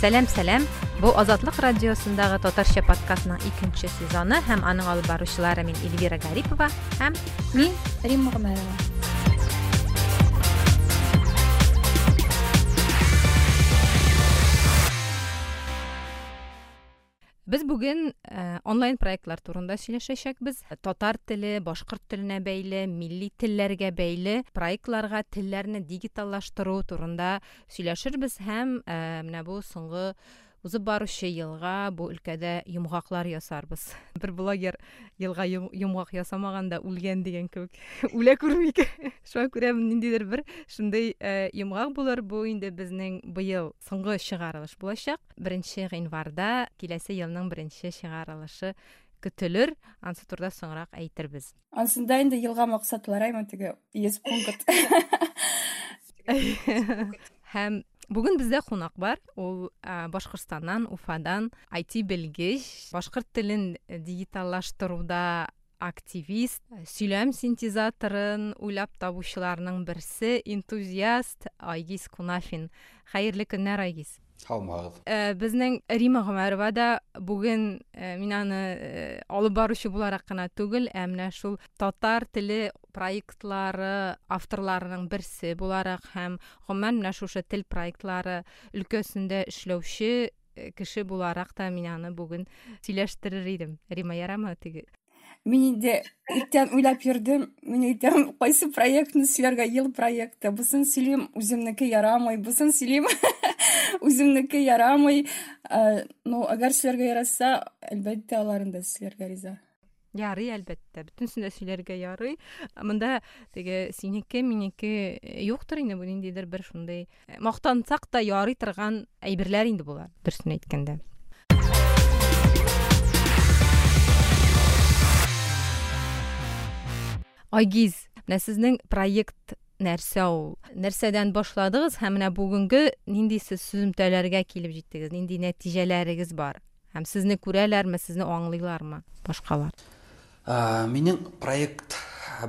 Сәлам, сәлам. Бу Азатлык радиосындагы татарча подкастның икенче сезоны һәм аның алып баручылары мин Эльвира Гарипова һәм мин Римма Гомәрова. Без бүген э, онлайн проектлар турында сөйләшәчәкбез. Татар теле, башкорт теленә бәйле, милли телләргә бәйле проектларга телләрне дигиталлаштыру турында сөйләшербез һәм э, менә бу соңгы узып баручы елга бу өлкәдә йомгаклар ясарбыз. Бер блогер елга йомгак ясамаган да үлгән дигән кебек. Үлә күрмик. Шуңа күрә ниндидер бер шундый э, йомгак булыр. Бу инде безнең быел соңгы чыгарылыш булачак. Беренче гыйнварда киләсе елның беренче чыгарылышы көтелер. Ансы турыда соңрак әйтербез. Ансында инде елга максатлар аймы теге 100 пункт. Һәм бүген бездә кунак бар. Ул Башкортстаннан, Уфадан IT белгеч, башкорт телен дигиталлаштыруда активист, сөйләм синтезаторын уйлап табучыларның берсе, энтузиаст Айгиз Кунафин. Хәерле көннәр, Айгиз. Һаумыһыгыз. Э, безнең Рима Гомәрова да бүген э, мин аны э, алып баручы буларак кына түгел, ә менә шул татар теле проектлары авторларының берсе буларак һәм гомумән менә шушы тел проектлары өлкәсендә эшләүче кеше буларак та мин аны бүген сөйләштерер идем. Рима, ярамы теге? Мин инде иртән уйлап йөрдем, мин әйтәм, кайсы проектны сөйләргә, ел проекты. Бусын сөйлим, үземнеке ярамый, бусын сөйлим, үземнеке ярамый. Э, ну, әгәр сөйләргә яраса, әлбәттә, аларын да сөйләргә риза. Ярый, әлбәттә, бөтенесен дә сөйләргә ярый. Монда теге синеке, минеке юктыр инде, бу ниндидер бер шундый мактансак та ярый торган әйберләр инде болар, дөресен әйткәндә. Айгиз, менә сезнең проект нәрсә ул? Нәрсәдән башладыгыз һәм менә бүгенге нинди сез сөземтәләргә килеп җиттегез, нинди нәтиҗәләрегез бар? Һәм сезне күрәләрме, сезне аңлыйлармы башкалар? Минем проект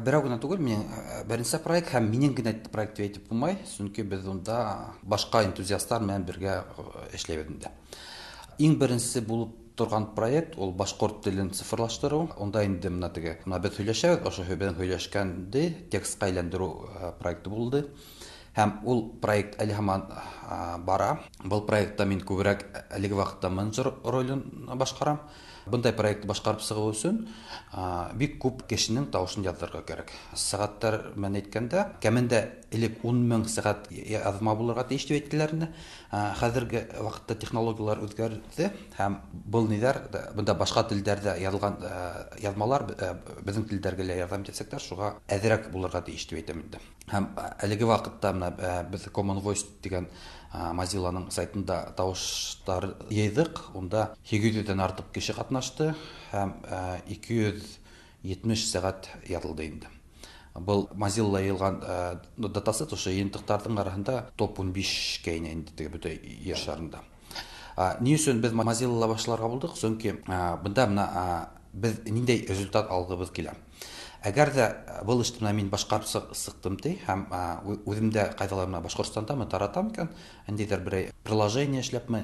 берәү генә түгел, минем беренче проект һәм минем генә проект дип әйтеп булмай, чөнки без унда башка энтузиастлар белән бергә эшләйбез инде. Иң беренче булып торган проект ул башкорт телен цифрлаштыру. Унда инде менә теге, менә без һөйләшәбез, ошо безнең һөйләшкәнде текстка әйләндерү проекты булды. Һәм ул проект әле һаман бара. Был проектта мин күбрәк әлеге вакытта менеджер ролен башкарам. Бындай проектны башкарып чыгу өчен бик күп кешенең тавышын яздырырга кирәк. Сәгатьләр белән әйткәндә, кәмендә элек 10 мең сәгать язма булырга тиеш дип әйттеләр инде. Хәзерге вакытта технологияләр үзгәрде һәм был ниләр, бында башка телләрдә язылган язмалар безнең телләргә лә ярдәм итәчәкләр, шуга әзрәк булырга тиеш дип әйтәм инде. Һәм әлеге вакытта менә без Common Voice дигән Mozilla-ның сайтында тавышлар йыйдык. Унда 800 дән артык кеше катнашты һәм 270 сәгать язылды инде. Был Mozilla йыйылган датасет ошо йыйынтыктарның арасында топ 15-кә инә инде теге бөтә Ер шарында. Ни өчен без Mozilla башларга булдык? Чөнки бында менә без ниндәй результат алгыбыз килә. Әгәр дә был эшне менә мин башкарып сыктым ди, һәм үзем дә кайдалар менә Башкортстанда мы таратам икән, ниндидер берәй приложение эшләпме,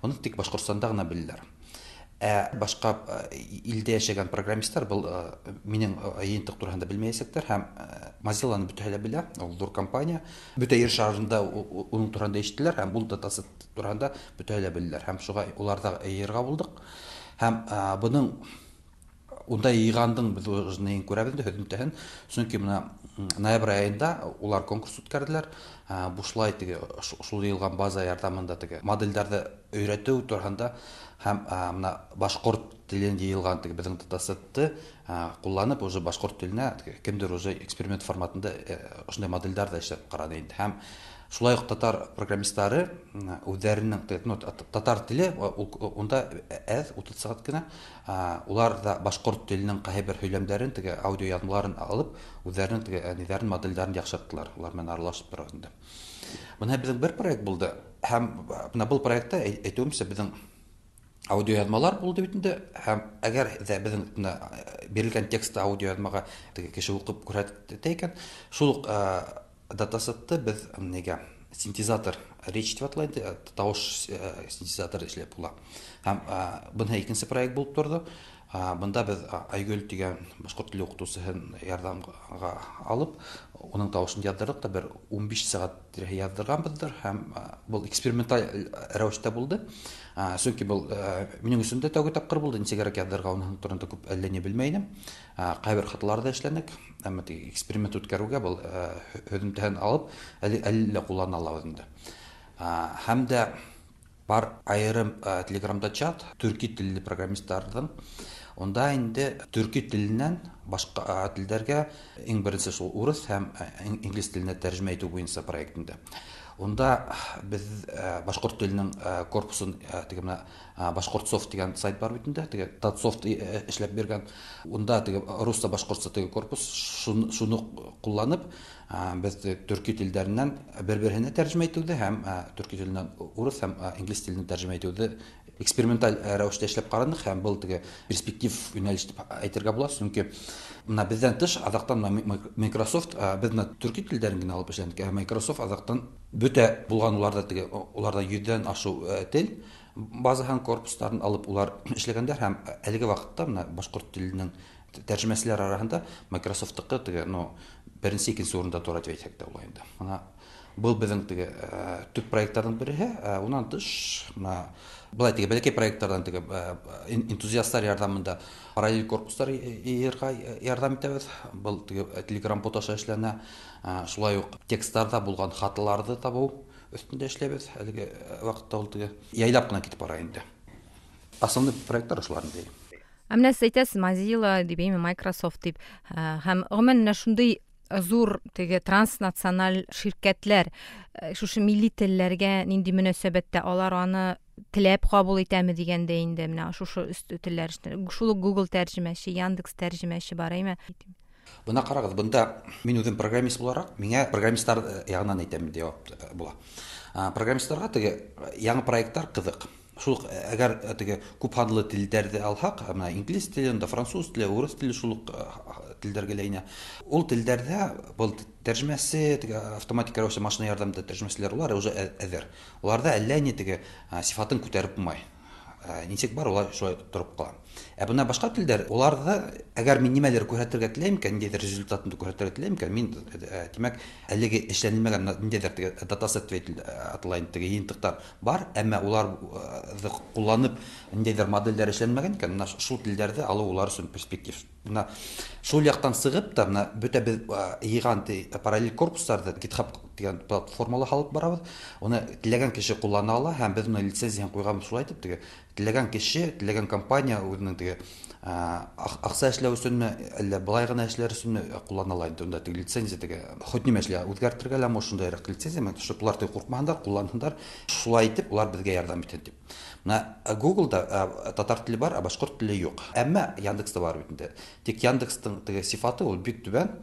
моны тик Башкортстанда гына беләләр. Ә башка илдә яшәгән программистлар был минем җыентык турында белмәячәкләр һәм Mozilla-ны бөтәһе дә белә, ул зур компания. Бөтә Ер шарында уның турында ишеттеләр һәм ул датасет турында бөтәһе дә белделәр һәм шуга уларда йыйырга булдык. Һәм буның Унда йыйгандың без уже неен күрәбез инде һөҙөмтәһен. Чөнки менә ноябрь аенда улар конкурс үткәрделәр. Бушлай теге шул йыйылган база ярдәмендә теге модельдәрҙе өйрәтеү тураһында һәм менә башҡорт телен йыйылган теге беҙҙең датасетты ҡулланып уже башҡорт теленә кемдер уже эксперимент форматында ошондай модельдәр ҙә эшләп ҡараны инде. Һәм шулай уҡ татар программисттары үҙҙәренең, ну, татар теле унда әҙ, 30 сәғәт кенә. Улар да башҡорт теленең ҡайһы бер һөйләмдәрен, теге аудио яҙмаларын алып, үҙҙәренең теге ниҙәрен, модельдәрен яҡшырттылар, улар менән аралашып тора инде. Бына беҙҙең бер проект булды. Һәм бына был проектта әйтеүемсә, беҙҙең аудио яҙмалар булды бит инде. Һәм әгәр ҙә беҙҙең бына бирелгән текстты аудио яҙмаға теге кеше уҡып күрһәтә икән, шул уҡ датасетты беҙ нигә Синтезатор речь дип атала инде, тавыш синтезаторы эшләп була. Һәм бына икенче проект булып торды. Бында без Айгөл дигән башкорт теле укытучысын ярдәмгә алып, уның тавышын яздырдык та бер 15 сәгать тирәһе яздырганбыздыр һәм был эксперименталь рәвештә булды. Чөнки был минем өчен дә тәүге тапкыр булды, ничегрәк яздырырга уның турында күп әллә ни белмәй идем. Кайбер хаталар да эшләнек, әмма теге эксперимент үткәрүгә был һөҙөмтәһен алып, әле әллә куллана алабыз инде. Һәм дә бар айырым Телеграмда чат төрки телле программистларның. Унда инде төрки теленнән башка телдәргә иң беренче шул урыс һәм инглиз теленә тәрҗемә итү буенча проект инде. Унда без башкорт теленең корпусын теге менә Башкортсофт дигән сайт бар бит инде, теге Татсофт эшләп биргән. Унда теге русча башкортча теге корпус шуны кулланып, без төрки телдәреннән бер-беренә тәрҗемә итүде һәм төрки теленнән урыс һәм инглиз теленә тәрҗемә итүде эксперименталь рәвештә эшләп карадык һәм был теге перспектив юнәлеш дип әйтергә була, чөнки менә бездән тыш азактан Microsoft без менә төрки телдәрен генә алып эшләдек, ә Microsoft азактан бөтә булган уларда теге уларда 100дән ашу тел база һәм корпусларын алып улар эшләгәндәр һәм әлеге вакытта менә башкорт теленең тәрҗемәселәр арасында Microsoft-тыкы теге, ну, беренче, икенче урында тора дип әйтсәк тә була инде. Менә был безнең теге төп проектларның береһе. Уннан тыш, менә былай теге бәләкәй проектлардан теге энтузиастлар ярдәмендә параллель корпуслар йыйырга ярдәм итәбез. Был теге Telegram бот аша эшләнә. Шулай ук текстларда булган хаталарны табу өстендә эшләбез. Әлеге вакытта ул теге яйлап кына китеп бара инде. Основной проектлар шулар инде. Ә менә сез әйтәсез, Mozilla дип, әйме, Microsoft дип. Һәм гомумән менә шундый зур теге транснациональ ширкәтләр шушы милли телләргә нинди мөнәсәбәттә, алар аны теләп кабул итәме дигәндә инде менә шушы телләр шул ук Google тәрҗемәче, Яндекс тәрҗемәче бар, әйме? Бына карагыз, бында мин үзем программист буларак, миңа программистлар ягыннан әйтәм дип җавап була. Программистларга теге яңа проектлар кызык. Шул ук әгәр теге күп һанлы телдәрҙе алһаҡ, менә инглиз теле, унда француз теле, урыҫ теле шул ук телдәргә лә инә. Ул телдәрҙә был тәржемәсе, теге автоматик рәүештә машина ярҙамында тәржемәселәр улар уже әҙер. Уларҙа әллә ни теге сифатын күтәреп булмай. Нисек бар, улар шулай тороп ҡала. Ә бына башҡа телдәр, уларҙы әгәр мин нимәлер күрһәтергә теләйем икән, ниндәйҙер результатын күрһәтергә теләйем икән, мин, тимәк, әлеге эшләнелмәгән ниндәйҙер теге датасет дип атала инде, теге йыйынтыҡтар бар, әммә уларҙы ҡулланып ниндәйҙер моделдәр эшләнмәгән икән, менә шул телдәрҙе алыу улар өсөн перспектив. Менә шул яҡтан сығып та, менә бөтә беҙ йыйған параллель корпустарҙы GitHub тигән платформала һалып барабыҙ. Уны теләгән кеше ҡуллана ала һәм беҙ уны лицензияһын ҡуйғанбыҙ шулай итеп, теге теләгән кеше, теләгән компания үҙенең теге аҡса эшләү өсөнмө, әллә былай ғына эшләр өсөнмө ҡуллана ала инде. Унда теге лицензия теге хоть нимә эшләй, үҙгәртергә лә ошондайыраҡ лицензия, менә шул улар теге ҡурҡмаһындар, ҡулланһындар, шулай итеп улар беҙгә ярҙам итһен тип. Менә Google-да татар теле бар, ә башҡорт теле юҡ. Әммә Яндекста бар бит инде. Тик Яндекстың теге сифаты ул бик түбән.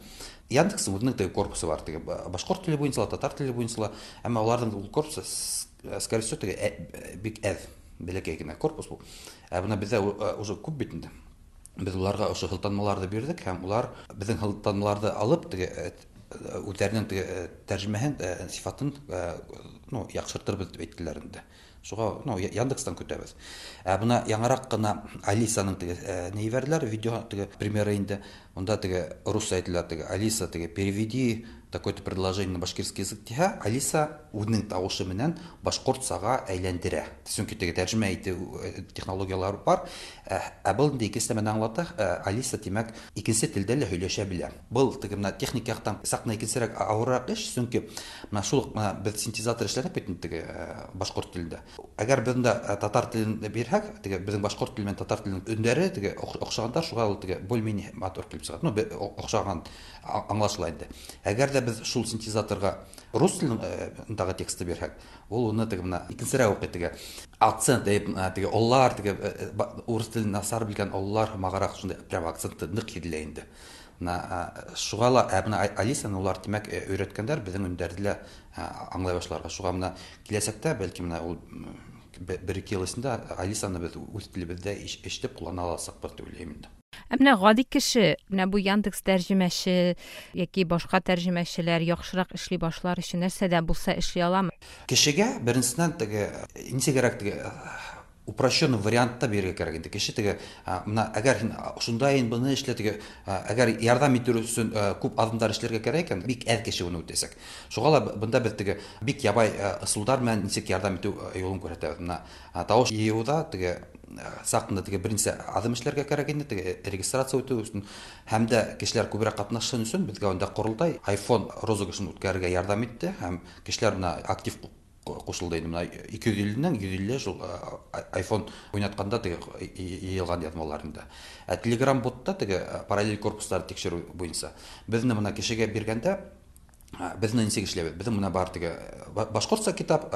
Яндекстың үҙенең теге корпусы бар, теге башҡорт теле буйынса ла, татар теле буйынса ла, әммә уларҙың ул корпусы, скорее всего, теге бик әҙ, бәләкәй генә корпус бул. Ә бына беҙҙә уже күп бит инде. Беҙ уларға ошо һылтанмаларҙы бирҙек һәм улар беҙҙең һылтанмаларҙы алып теге үҙҙәренең теге тәржемәһен, сифатын, ну, яҡшыртырбыҙ тип әйттеләр инде. Шуға, ну, Яндекстан көтәбеҙ. Ә бына яңыраҡ ҡына Алисаның теге ни ебәрҙеләр, видео теге примеры инде. Унда теге русса әйтелә, теге Алиса теге переведи такое-то предложение на башкирский язык тиһә, Алиса үҙенең тауышы менән башҡортсаға әйләндерә. Сөнки теге тәржемә итеү технологиялары бар. Ә был инде икенсе нәмәне аңлата, Алиса тимәк икенсе телдә лә һөйләшә белә. Был теге менә техник яҡтан саҡ ҡына икенсерәк ауырыраҡ эш, сөнки менә шул уҡ менә беҙ синтезатор эшләнек бит инде теге башҡорт телендә. Әгәр беҙ унда татар телен бирһәк, теге беҙҙең башҡорт теле менән татар теленең өндәре теге оҡшағандар, шуға ул теге более-менее матур килеп сыға. Ну, оҡшаған аңлашыла инде. Әгәр ҙә беҙ шул синтезаторға рус телендағы текстты бирһәк, ул уны теге менә икенсерәк уҡый, теге акцент, теге оллар, теге урыҫ телен насар белгән оллар һымағыраҡ шундай прям акцентты ныҡ һиҙелә инде. Менә шуға ла, менә Алисаны улар тимәк өйрәткәндәр, беҙҙең өндәрҙе лә аңлай башларға. Шуға менә киләсәктә бәлки менә ул бер-ике йыл эсендә Алисаны беҙ үҙ телебеҙҙә ишетеп ҡуллана аласаҡбыҙ тип уйлайым инде. Ә менә гади кеше, менә бу Яндекс тәрҗемәче яки башка тәрҗемәчеләр яхшырак эшли башлар өчен нәрсә дә булса эшли аламы? Кешегә беренчедән теге ничегрәк теге упрощенный вариантта бирергә кирәк инде. Кеше теге менә әгәр һин шундай моны эшлә теге әгәр ярдәм итү өчен күп адымнар эшләргә кирәк икән, бик әз кеше моны үтәчәк. Шуңа ла бында без теге бик ябай ысулдар белән ничек ярдәм итү юлын күрсәтәбез. Менә тавыш җыюда теге сак кына теге берничә адым эшләргә кирәк инде, теге регистрация үтү өчен һәм дә кешеләр күбрәк катнашсын өчен безгә анда корылтай iPhone розыгрышын үткәрергә ярдәм итте һәм кешеләр менә актив кушылды инде. Менә 250-нең 150 шул iPhone уйнатканда теге йыелган язмалар инде. Ә Telegram ботта теге параллель корпуслар тикшерү буенча безне менә кешегә биргәндә безне ничек эшләбез? Безнең менә бар теге башкортча китап,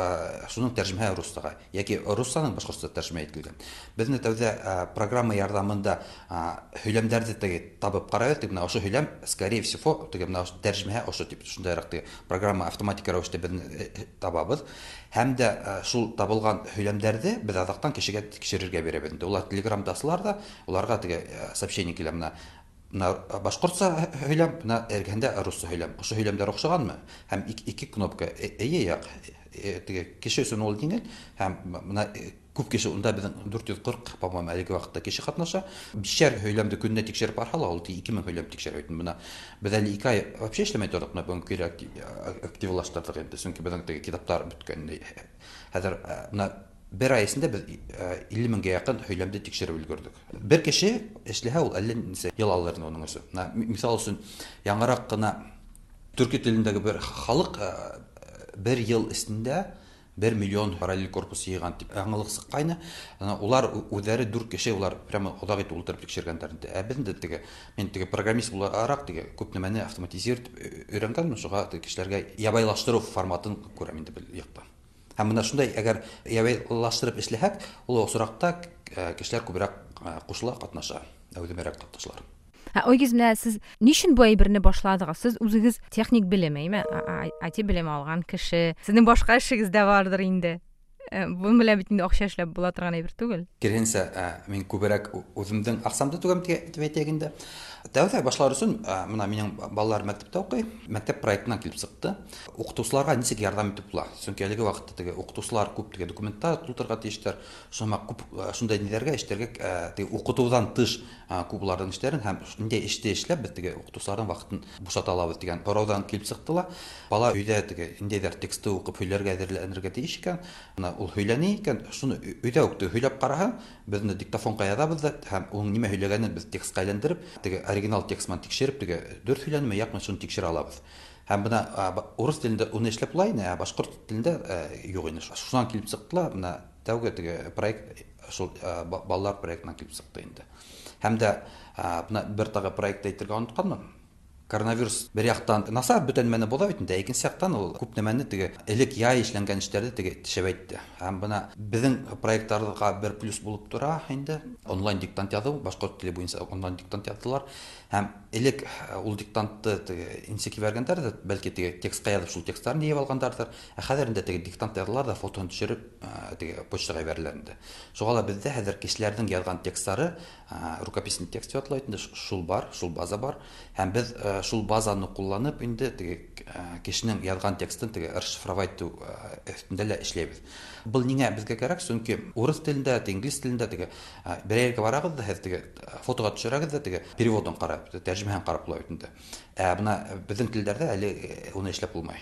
шуның тәрҗемә русчага яки русчаның башкортча тәрҗемә ителгән. Безне тәүдә программа ярдәмендә һөйләмнәрне теге табып карайбыз, теге менә ошо һөйләм, скорее всего, теге менә тәрҗемә ошо дип шундайрак теге программа автоматик рәвештә безне табабыз. Һәм дә шул табылган һөйләмнәрне без азактан кешегә тикшерергә бирәбез. Инде улар Телеграмдасылар да, уларга теге сообщение килә менә башкортча һөйләм, менә эргәндә русча һөйләм. Ошо һөйләмнәр охшаганмы? Һәм ике кнопка эйе як. Теге кеше өчен ул җиңел һәм менә күп кеше унда безнең 440, по-моему, әлеге вакытта кеше катнаша. Бишәр һөйләмде көненә тикшереп барһа, ул 2000 һөйләм тикшерә бит. Менә без әле 2 ай вообще эшләмәй тордык, менә бүгенге көйгә активлаштырдык инде, чөнки безнең теге китаплар беткән. Хәзер менә бер ай эчендә без 50 меңгә якын һөйләмде тикшереп өлгердек. Бер кеше эшләһә, ул әллә ничә ел алыр инде уның өчен. Менә мисал өчен, яңарак кына төрки телендәге бер халык бер ел эчендә 1 миллион параллель корпус йыйган дип яңалык сыккайны. Улар үзләре 4 кеше, улар прямо озак итеп утырып тикшергәннәр инде. Ә без инде теге, мин теге программист буларак теге күп нәмәне автоматизировать өйрәнгәнмен, шуңа теге кешеләргә ябайлаштыру форматын күрәм инде бер якта. Һәм менә шундай әгәр ябайлаштырып эшләһәк, ул осракта кешеләр күбрәк кушыла, катнаша, әүдемерәк катнашалар. Ә Ойгиз, менә сез ни өчен бу әйберне башладыгыз? Сез үзегез техник белем, әйме? IT белеме алган кеше. Сезнең башка эшегез дә бардыр инде. Бу белән бит инде акча эшләп була торган әйбер түгел. Киресенчә, мин күбрәк үземнең акчамды түгәм дип әйтәйек инде. Тәүдә башлар өчен, менә минем балалар мәктәптә укый, мәктәп проектыннан килеп чыкты. Укытучыларга ничек ярдәм итеп була? Чөнки әлеге вакытта теге укытучылар күп теге документлар тутырырга тиешләр. Шуңа күп шундай ниләргә, эшләргә, теге укытудан тыш күп уларның эшләрен һәм нинди эште эшләп без теге укытучыларның вакытын бушата алабыз дигән сораудан килеп чыкты ла. Бала өйдә теге ниндәйдер текстты укып һөйләргә әзерләнергә тиеш икән, менә ул һөйләни икән, шуны өйдә үк теге һөйләп караһа, без инде диктофонга язабыз да һәм ул нимә һөйләгәнен без текстка әйләндереп, теге оригинал текст белән тикшереп, теге дөрес һөйләнеме, якмы, шуны тикшерә алабыз. Һәм менә урыс телендә уны эшләп була инде, ә башкорт телендә юк инде. Шуннан килеп чыкты ла, менә тәүге теге проект шул балалар проектыннан килеп чыкты инде. Һәм дә менә бер тагы проект әйтергә онытканмын. Коронавирус бер яктан насар бүтән нәмәне була бит инде, икенче яктан ул күп нәмәне теге элек яй эшләнгән эшләрне теге тишәбәйтте. Һәм менә безнең проектларга бер плюс булып тора инде. Онлайн диктант язу, башкорт теле буенча онлайн диктант яздылар. Һәм элек ул диктантты теге ничек җибәргәндәрдер, бәлки теге текстка язып шул текстларны җыеп алгандардыр. Ә хәзер инде теге диктант язалар да фотоны төшереп теге почтага җибәрәләр инде. Шуңа да бездә хәзер кешеләрнең язган текстлары, рукописный текст дип атала инде, шул бар, шул база бар. Һәм без шул базаны кулланып инде теге кешенең язган текстын теге расшифровать итү өстендә лә эшләйбез. Был ниңә безгә кирәк? Чөнки урыс телендә, инглиз телендә теге бер җиргә барагыз да, һәр теге фотога төшерәгез дә теге переводын карап, тәрҗемәһен карап була бит инде. Ә менә безнең телләрдә әле уны эшләп булмай.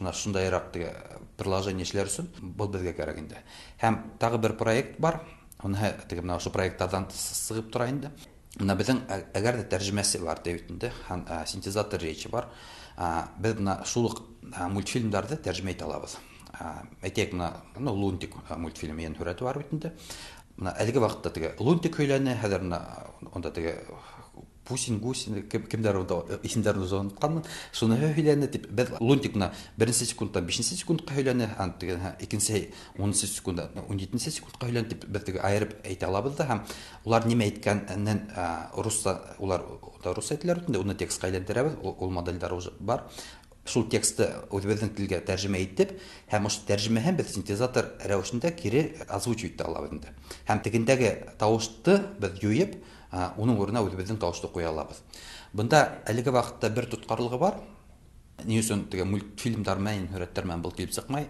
Менә шундайрак теге приложение эшләр өчен был безгә кирәк инде. Һәм тагы бер проект бар. Уны теге менә ошо проектлардан сыгып тора инде. Менә безнең әгәр дә тәрҗемәсе бар дип инде, һәм синтезатор речи бар. Без менә шул ук мультфильмнарны тәрҗемә итә алабыз. Әйтәйек, менә, ну, Лунтик мультфильмы ен һүрәте бар бит инде. Менә әлеге вакытта теге Лунтик һөйләне, хәзер менә унда теге Пусин, Гусин, кемдер унда исемнәрен уже онытканмын. Шуны һөйләне дип, без Лунтик менә беренче секундтан бишенче секундка һөйләне, һәм теге икенче унынчы секундта 17 секундка һөйләне дип без теге аерып әйтә алабыз да, һәм улар нимә әйткәнен русча, улар да русча әйтәләр бит инде, уны текстка әйләндерәбез, ул модельләр уже бар. Шул текстты үҙебеҙҙең телгә тәржемә итеп, һәм ошо тәржемәһен беҙ синтезатор рәүешендә кире озвучивать итә алабыҙ инде. Һәм тегендәге тауышты беҙ юйып, уның урынына үҙебеҙҙең тауышты ҡуя алабыҙ. Бында әлеге ваҡытта бер тотҡарлығы бар. Ни өсөн теге мультфильмдар менән, һүрәттәр менән был килеп сыҡмай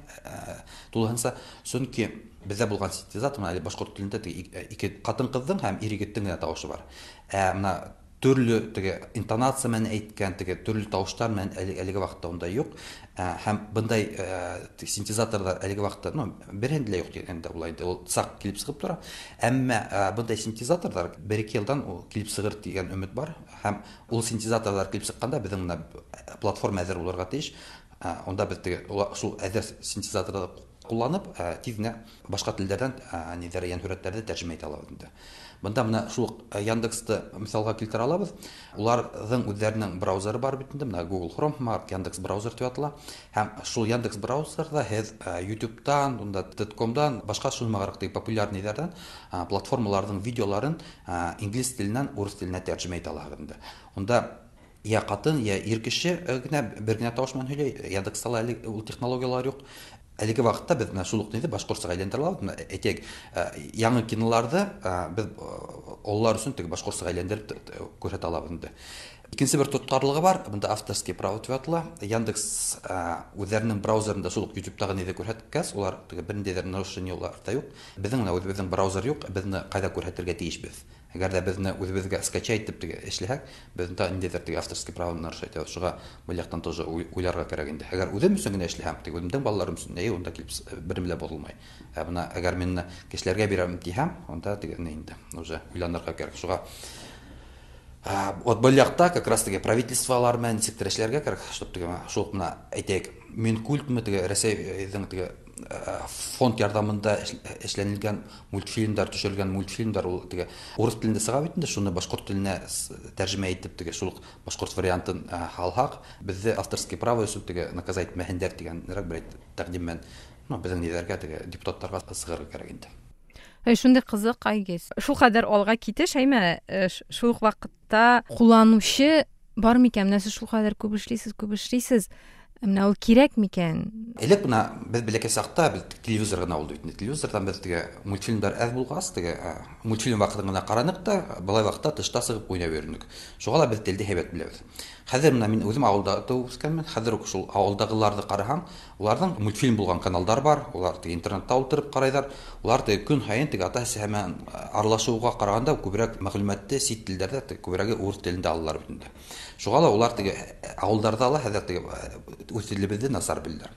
тулыһынса? Сөнки беҙҙә булған синтезатор менән әле башҡорт телендә теге ике ҡатын-ҡыҙҙың һәм ир-егеттең генә тауышы бар. Ә мына төрлө теге интонация менән әйткән теге төрлө тауыштар менән әлеге ваҡытта унда юҡ. Һәм бындай синтезаторҙар әлеге ваҡытта, ну, береһендә лә юҡ тигәндә була инде, ул саҡ килеп сығып тора. Әммә бындай синтезаторҙар бер-ике йылдан ул килеп сығыр тигән өмөт бар. Һәм ул синтезаторҙар килеп сыҡҡанда беҙҙең мына платформа әҙер булырға тейеш. Унда беҙ теге шул әҙер синтезаторҙы ҡулланып, тиҙ генә башҡа телдәрҙән ниҙәр йәнһүрәттәрҙе тәржемә итә алабыҙ инде. Бында мына шул Яндексты миҫалға килтерә алабыҙ. Уларҙың үҙҙәренең браузеры бар бит инде, мына Google Chrome, Mark Яндекс браузер тип атала. Һәм шул Яндекс браузерҙа һеҙ YouTube'тан, унда TED.com'дан, башҡа шул теге популяр ниҙәрҙән, платформаларҙың видеоларын инглиз теленән урыҫ теленә тәржемә итә алаһығыҙ инде. Унда я ҡатын, я ир кеше генә бер генә тауыш менән һөйләй. Яндекста ла әле ул технологиялар юҡ. Әлеге ваҡытта беҙ мына шул уҡ ниҙе башҡортсаға әйләндерә алабыҙ. Мына әйтәйек, яңы киноларҙы беҙ ололар өсөн теге башҡортсаға әйләндереп күрһәтә алабыҙ инде. Икенсе бер тотҡарлығы бар, бында авторский право тип атала. Яндекс үҙҙәренең браузерында шул уҡ YouTube'тағы ниҙе күрһәткәс, улар теге бер ниндәйҙер нарушение уларҙа юҡ. Беҙҙең мына үҙебеҙҙең браузер юҡ, беҙ ҡайҙа күрһәтергә тейешбеҙ. Әгәр ҙә беҙ үҙебеҙгә скачать итеп теге эшләһәк, беҙ унда ниндәйҙер теге авторский право нарушать итәбеҙ. Шуға был яҡтан тоже уйларға кәрәк инде. Әгәр үҙем өсөн генә эшләһәм, теге үҙемдең балаларым өсөн, әй, унда килеп бер нәмә лә боҙолмай. Ә бына әгәр мин кешеләргә бирәм тиһәм, унда теге ни инде, уже уйланырға кәрәк. Шуға вот был яҡта как раз теге правительстволар менән нисектер эшләргә кәрәк, чтоб теге шул уҡ мына әйтәйек, Минкультмы теге Рәсәйҙең теге фонд ярҙамында эшләнелгән мультфильмдар, төшөрөлгән мультфильмдар ул теге урыҫ телендә сыға бит инде, шуны башҡорт теленә тәржемә итеп теге шул уҡ башҡорт вариантын һалһаҡ, беҙҙе авторский право өсөн теге наказать итмәһендәр тигәнерәк бер тәҡдим менән, ну, беҙҙең ниҙәргә теге депутаттарға сығырға кәрәк инде. Әй, шундай ҡыҙыҡ, Айгиз. Шул ҡәҙәр алға китеш, әйме, шул уҡ ваҡытта ҡулланыусы бар микән? Менә сез шул ҡәҙәр күп эшләйсез, күп эшләйсез. Менә ул кирәк микән? Элек бына беҙ бәләкәй саҡта беҙ телевизор ғына булды бит инде. Телевизорҙан беҙ теге мультфильмдар әҙ булғас, теге мультфильм ваҡытын ғына ҡараныҡ та, былай ваҡытта тышта сығып уйнап йөрөнөк. Шуға ла беҙ телде һәйбәт беләбеҙ. Хәҙер бына мин үҙем ауылда тыуып үҫкәнмен. Хәҙер үк шул ауылдағыларҙы ҡараһаң, уларҙың мультфильм булған каналдар бар, улар теге интернетта ултырып ҡарайҙар. Улар теге көн һайын теге ата-әсә менән аралашыуға ҡарағанда күберәк мәғлүмәтте сит телдәрҙә, теге күберәге урыҫ телендә алалар бит инде. Шуға ла улар теге ауылдарҙа ла хәҙер теге үҙ телебеҙҙе насар беләләр.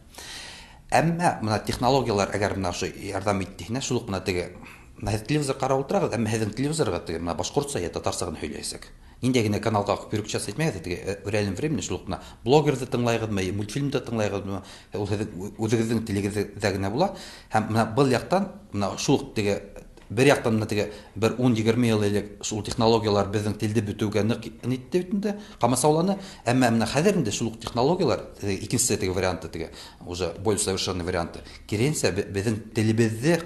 Әммә бына технологиялар әгәр бына ошо ярҙам итте, шул уҡ бына теге бына һеҙ телевизор ҡарап ултырағыҙ, әммә һеҙҙең телевизорға теге бына башҡортса йә татарса ғына һөйләйәсәк. Ниндәй генә каналға переключаться итмәгеҙ, теге в реальном времени шул уҡ бына блогерҙы тыңлайғыҙмы, мультфильмды тыңлайғыҙмы, ул һеҙҙең үҙегеҙҙең телегеҙҙә генә була. Һәм бына был яҡтан бына шул уҡ теге бер яҡтан бына теге бер ун-егерме йыл элек шул технологиялар беҙҙең телде бөтөүгә ныҡ нитте бит инде, ҡамасауланы. Әммә бына хәҙер инде шул уҡ технологиялар, теге икенсе теге варианты, теге уже более совершенный варианты, киренсә беҙҙең телебеҙҙе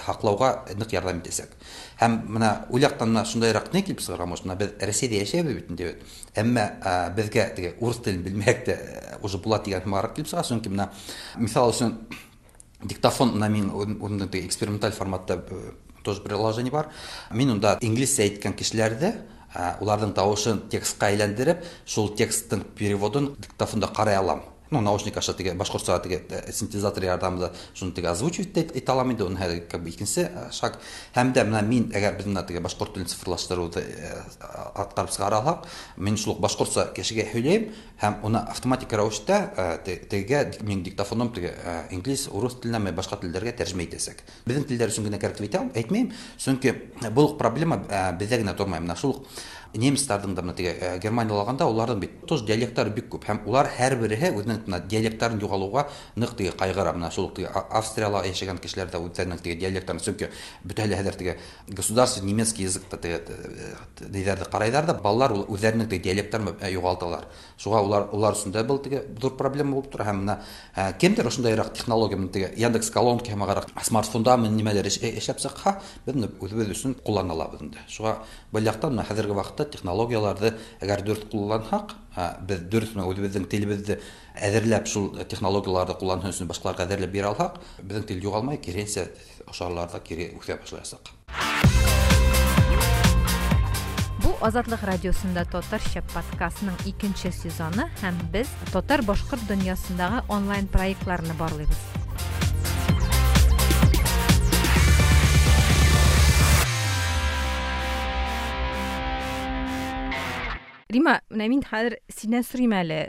һаҡлауға ныҡ ярҙам итәсәк. Һәм бына ул яҡтан бына шундайыраҡ ни килеп сығырға может, бына беҙ Рәсәйҙә йәшәйбеҙ бит инде, әммә беҙгә теге урыҫ телен белмәһәк тә уже була тигән һымағыраҡ килеп сыға, сөнки бына миҫал өсөн диктофон бына мин үҙемдең теге эксперименталь форматта тоже приложение бар. Мин унда инглизсә әйткән кешеләрҙе, уларҙың тауышын текстҡа әйләндереп, шул тексттың переводын диктофонда ҡарай алам. Ну, наушник аша теге башҡортса теге синтезатор ярҙамында шуны теге озвучивать итә алам инде, уның хәҙер как бы икенсе шаг. Һәм дә бына мин әгәр беҙ бына теге башҡорт телен цифрлаштырыуҙы атҡарып сығара алһаҡ, мин шул уҡ башҡортса кешегә һөйләйем һәм уны автоматик рәүештә тегегә минең диктофоным теге инглиз, урыҫ теленә ме башҡа телдәргә тәржемә итәсәк. Беҙҙең телдәр өсөн генә кәрәк тип әйтмәйем, сөнки был уҡ проблема беҙҙә генә тормай. Бына шул уҡ немецтарҙың да бына теге Германияла алғанда уларҙың бит тоже диалекттары бик күп һәм улар һәр береһе үҙенең бына диалекттарын юғалыуға ныҡ теге ҡайғыра. Бына шул уҡ теге Австрияла йәшәгән кешеләр ҙә үҙҙәренең теге диалекттарын, сөнки бөтәһе лә хәҙер теге государственный немецкий языкта теге ниҙәрҙе ҡарайҙар ҙа, балалар ул үҙҙәренең теге диалекттарын юғалталар. Шуға улар өсөн дә был теге ҙур проблема булып тора. Һәм бына кемдер ошондайыраҡ технология менән теге Яндекс колонка һәм ағыраҡ смартфонда менән нимәлер эшләп сыҡһа, беҙ быны үҙебеҙ өсөн ҡуллана алабыҙ инде. Шуға был яҡтан бына хәҙерге ваҡытта технологияларҙы әгәр дөрөҫ ҡулланһаҡ, Без дөрес менә үзебезнең телебезне әзерләп, шул технологияләрне куллану өчен башкаларга әзерләп бирә алсак, безнең тел югалмай, киресенчә, ошарларда кире үсә башлаячак. Бу Азатлык радиосында татарча подкастның икенче сезоны һәм без татар-башкорт дөньясындагы онлайн проектларны барлыйбыз. Рима, менә мин хәзер синнән сорыйм әле,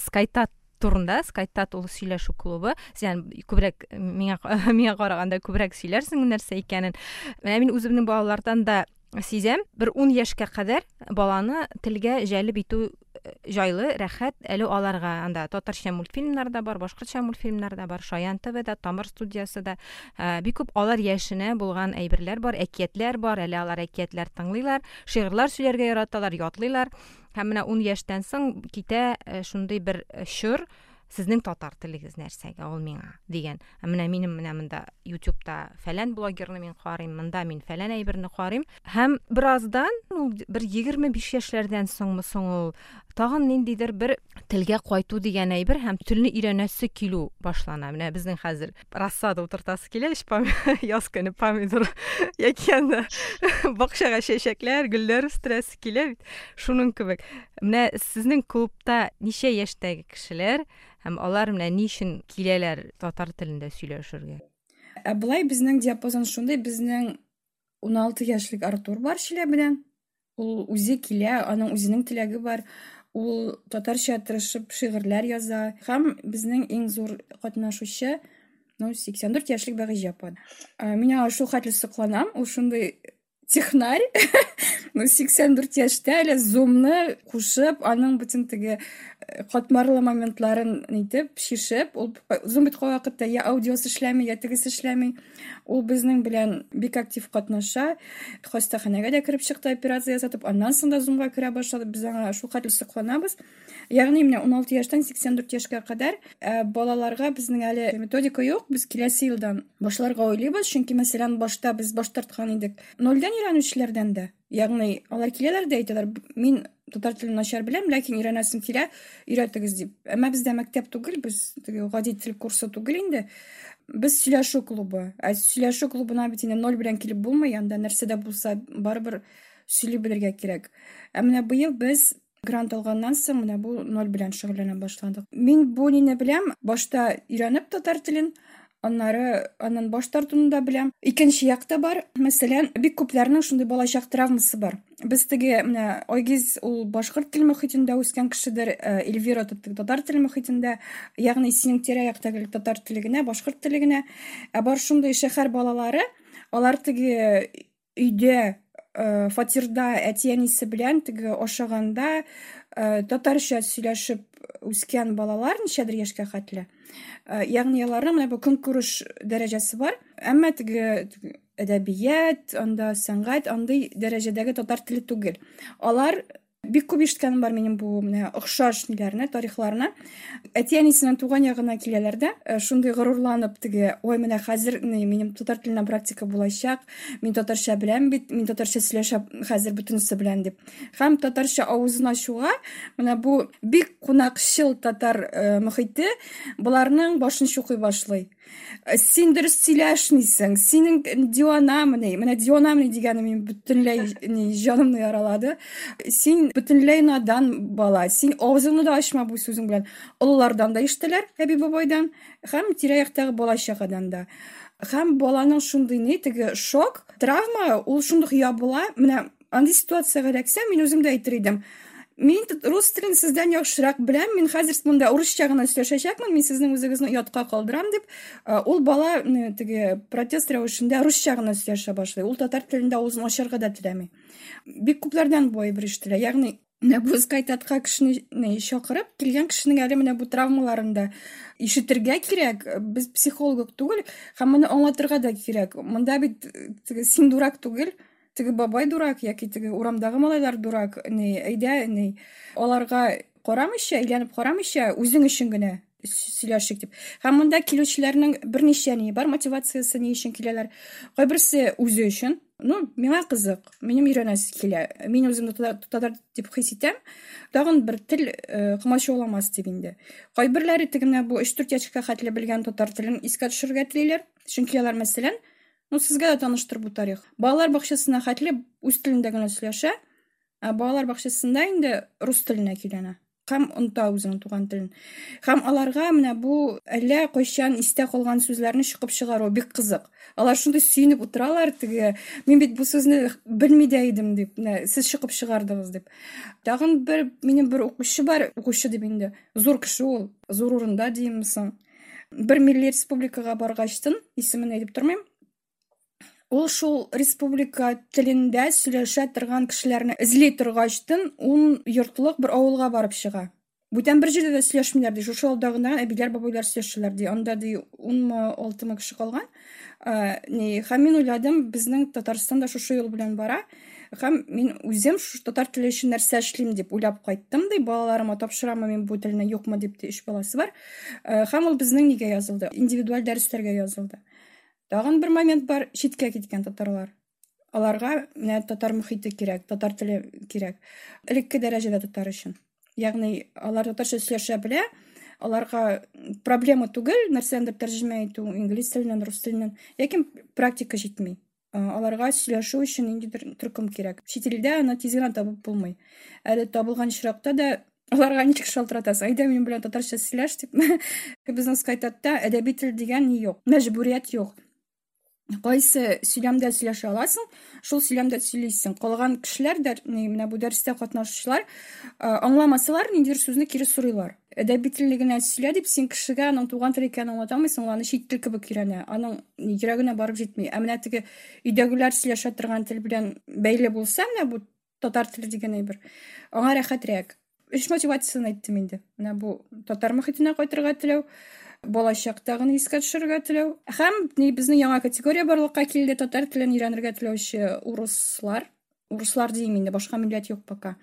Скайтат турында, Скайтат ул сөйләшү клубы. Син күбрәк миңа миңа караганда күбрәк сөйләрсең нәрсә икәнен. Менә мин үземнең балалардан да сизәм, бер 10 яшькә кадәр баланы телгә җәлеп итү э, җайлы, рәхәт. Әле аларга анда татарча мультфильмнар да бар, башкортча мультфильмнар да бар, Шаян ТВ да, Тамыр студиясе дә. Э, бик күп алар яшенә булган әйберләр бар, әкиятләр бар, әле алар әкиятләр тыңлыйлар. Шигырьләр сөйләргә яраталар, ятлыйлар. Һәм менә 10 яшьтән соң китә э, шундый бер э, чор, сезнең татар телегез нәрсәгә ул миңа дигән. Ә менә минем менә монда YouTube'та фәлән блогерны мин карыйм, монда мин фәлән әйберне карыйм. Һәм бераздан, ул бер 25 яшьләрдән соңмы соң ул, тагын ниндидер бер телгә кайту дигән әйбер һәм телне өйрәнәсе килү башлана. Менә безнең хәзер рассада утыртасы килә, өч яз көне помидор яки анда бакчага чәчәкләр, гөлләр үстерәсе килә бит. Шуның кебек. Менә сезнең клубта ничә яшьтәге кешеләр һәм алар менә ни өчен киләләр татар телендә сөйләшергә? Ә болай безнең диапазон шундый, безнең 16 яшьлек Артур бар Чиләбедән. Ул үзе килә, аның үзенең теләге бар. Ул татарча тырышып шигырьләр яза. Һәм безнең иң зур катнашучы, ну, 84 яшьлек Бәгыйҗә апа. Мин аңа шул хәтле сокланам, ул шундый технарь. Ну, 84 яшьтә әле зумны кушып, аның бөтен теге э, катмарлы моментларын нитеп, шишеп, ул зум бит кайвакытта я аудиосы эшләми, я тегесе эшләми. Ул безнең белән бик актив катнаша. Хастаханәгә дә кереп чыкты, операция ясатып, аннан соң да зумга керә башлады. Без аңа шул хәтле сокланабыз. Ягъни менә 16 яшьтән 84 яшькә кадәр ә, балаларга безнең әле методика юк. Без киләсе елдан башларга уйлыйбыз, чөнки мәсәлән, башта без баш тарткан идек. Нольдән өйрәнүчеләрдән дә. Ягъни алар киләләр дә әйтәләр, мин татар телен начар беләм, ләкин өйрәнәсем килә, өйрәтегез дип. Әмма бездә мәктәп түгел, без теге гади тел курсы түгел инде. Без сөйләшү клубы. Ә сөйләшү клубына бит инде ноль белән килеп булмый, анда нәрсә дә булса барыбер сөйли белергә кирәк. Ә менә быел без грант алганнан соң менә бу ноль белән шөгыльләнә башладык. Мин бу нине беләм, башта өйрәнеп татар телен, аннары аннан баш тартуны да беләм. Икенче як та бар. Мәсәлән, бик күпләрнең шундый балачак травмасы бар. Без теге менә Айгиз ул башкорт тел мохитендә үскән кешедер, э, Эльвира татар теле мохитендә, ягъни синең тирә-якта гел татар теле генә, башкорт теле генә. Ә бар шундый шәһәр балалары, алар теге өйдә э, фатирда әти-әнисе белән теге ашаганда э, татарча сөйләшеп үскән балалар ничәдер яшькә хәтле. Э, ягъни аларның менә бу көнкүреш дәрәҗәсе бар, әмма теге әдәбият, анда сәнгать андый дәрәҗәдәге татар теле түгел. Алар Бик күп ишеткәнем бар минем бу менә охшаш ниләрне, тарихларны. Әти-әнисенең туган ягына киләләр дә, э, шундый горурланып теге, ой, менә хәзер ни, минем татар теленә практика булачак, мин татарча беләм бит, мин татарча сөйләшәм хәзер бөтенесе белән дип. Һәм татарча авызын ачуга, менә бу бик кунакчыл татар э, мохите боларның башын чукый башлый. Син дөрес сөйләшмисең, синең диванамыни, менә диванамыни дигәне мин бөтенләй ни җанымны яралады. Син бөтенләй надан бала, син авызыңны да ачма бу сүзең белән. Олылардан да ишетәләр, әби бабайдан, һәм тирә-яктагы бала чагадан да. Һәм баланың шундый ни, теге шок, травма, ул шундук ябыла. Менә андый ситуациягә эләксәм, мин үзем дә әйтер идем. Мин рус телен сездән яхшырак беләм, мин хәзер монда урысча гына сөйләшәчәкмен, мин сезнең үзегезне оятка калдырам дип, ул бала теге протест рәвешендә русча гына сөйләшә башлый. Ул татар телендә авызын ачарга да теләми. Бик күпләрдән бу әйбер ишетелә. Ягъни менә бу Скайтатка кешене чакырып, килгән кешенең әле менә бу травмаларын да ишетергә кирәк. Без психолог түгел, һәм моны аңлатырга да кирәк. Монда бит теге син дурак түгел, теге бабай дурак яки теге урамдагы малайлар дурак, ни, әйдә, ни, аларга карамыйча, әйләнеп карамыйча, үзең өчен генә сөйләшик дип. Һәм монда килүчеләрнең берничә ни бар мотивациясе, ни өчен киләләр. Кайберсе үзе өчен. Ну, миңа кызык, минем өйрәнәсе килә. Мин үземне татар дип хис итәм. Тагын бер тел комачауламас дип инде. Кайберләре теге менә бу 3-4 яшькә хәтле белгән татар телен искә төшерергә телиләр. Чөнки алар, мәсәлән, ну, сезгә дә таныштыр бу тарих. Балалар бакчасына хәтле үз телендә генә сөйләшә, ә балалар бакчасында инде рус теленә көйләнә. Һәм оныта үзенең туган телен. Һәм аларга менә бу әллә кайчан истә калган сүзләрне чыгып чыгару бик кызык. Алар шундый сөенеп утыралар, теге, мин бит бу сүзне белми дә идем дип, менә сез чыгып чыгардыгыз дип. Тагын бер минем бер укучы бар, укучы дип инде, зур кеше ул, зур урында димме соң. Бер милли республикага баргачтын, исемен әйтеп тормыйм. Ул шул республика телендә сөйләшә торган кешеләрне эзли торгачтын, ун йортлык бер авылга барып чыга. Бүтән бер җирдә дә сөйләшмиләр ди. Шушы авылда гына әбиләр, бабайлар сөйләшәләр ди. Анда ди 10-мы, 6-мы кеше калган. Ни, һәм мин уйладым, безнең Татарстан да шушы юл белән бара. Һәм мин үзем шушы татар теле өчен нәрсә эшлим дип уйлап кайттым ди. Балаларыма тапшырамы мин бу телне, юкмы дип ди, 3 баласы бар. Һәм ул безнең нигә язылды? Индивидуаль дәресләргә язылды. Тагын бер момент бар, читкә киткән татарлар. Аларга менә татар мөхите кирәк, татар теле кирәк. Элекке дәрәҗәдә татар өчен. Ягъни алар татарча сөйләшә белә, аларга проблема түгел, нәрсәндер тәрҗемә итү инглиз теленнән, рус теленнән, ләкин практика җитми. Аларга сөйләшү өчен ниндидер төркем кирәк. Чит илдә аны тиз генә табып булмый. Әле табылган очракта да аларга ничек шалтыратасың? Әйдә минем белән татарча сөйләш дип. Безнең скайтатта әдәби тел дигән ни юк, мәҗбүрият юк. Кайсы сөйләмдә сөйләшә аласың, шул сөйләмдә сөйлисең. Калган кешеләр дә, менә бу дәрестә катнашучылар, аңламасалар, ниндидер сүзне кире сорыйлар. Әдәби телне генә сөйлә дип, син кешегә аның туган тел икәнен аңлата алмыйсың, ул аны чит тел кебек өйрәнә, аның йөрәгенә барып җитми. Ә менә теге өйдәгеләр сөйләшә торган тел белән бәйле булса, менә бу татар теле дигән әйбер, аңа рәхәтрәк. Өч мотивациясен әйттем инде. Менә бу татар мөхитенә кайтырга теләү, балачактагыны искә төшерергә теләү һәм безнең яңа категория барлыкка килде, татар телен өйрәнергә теләүче урыслар. Урыслар дим инде, башка милләт юк пока.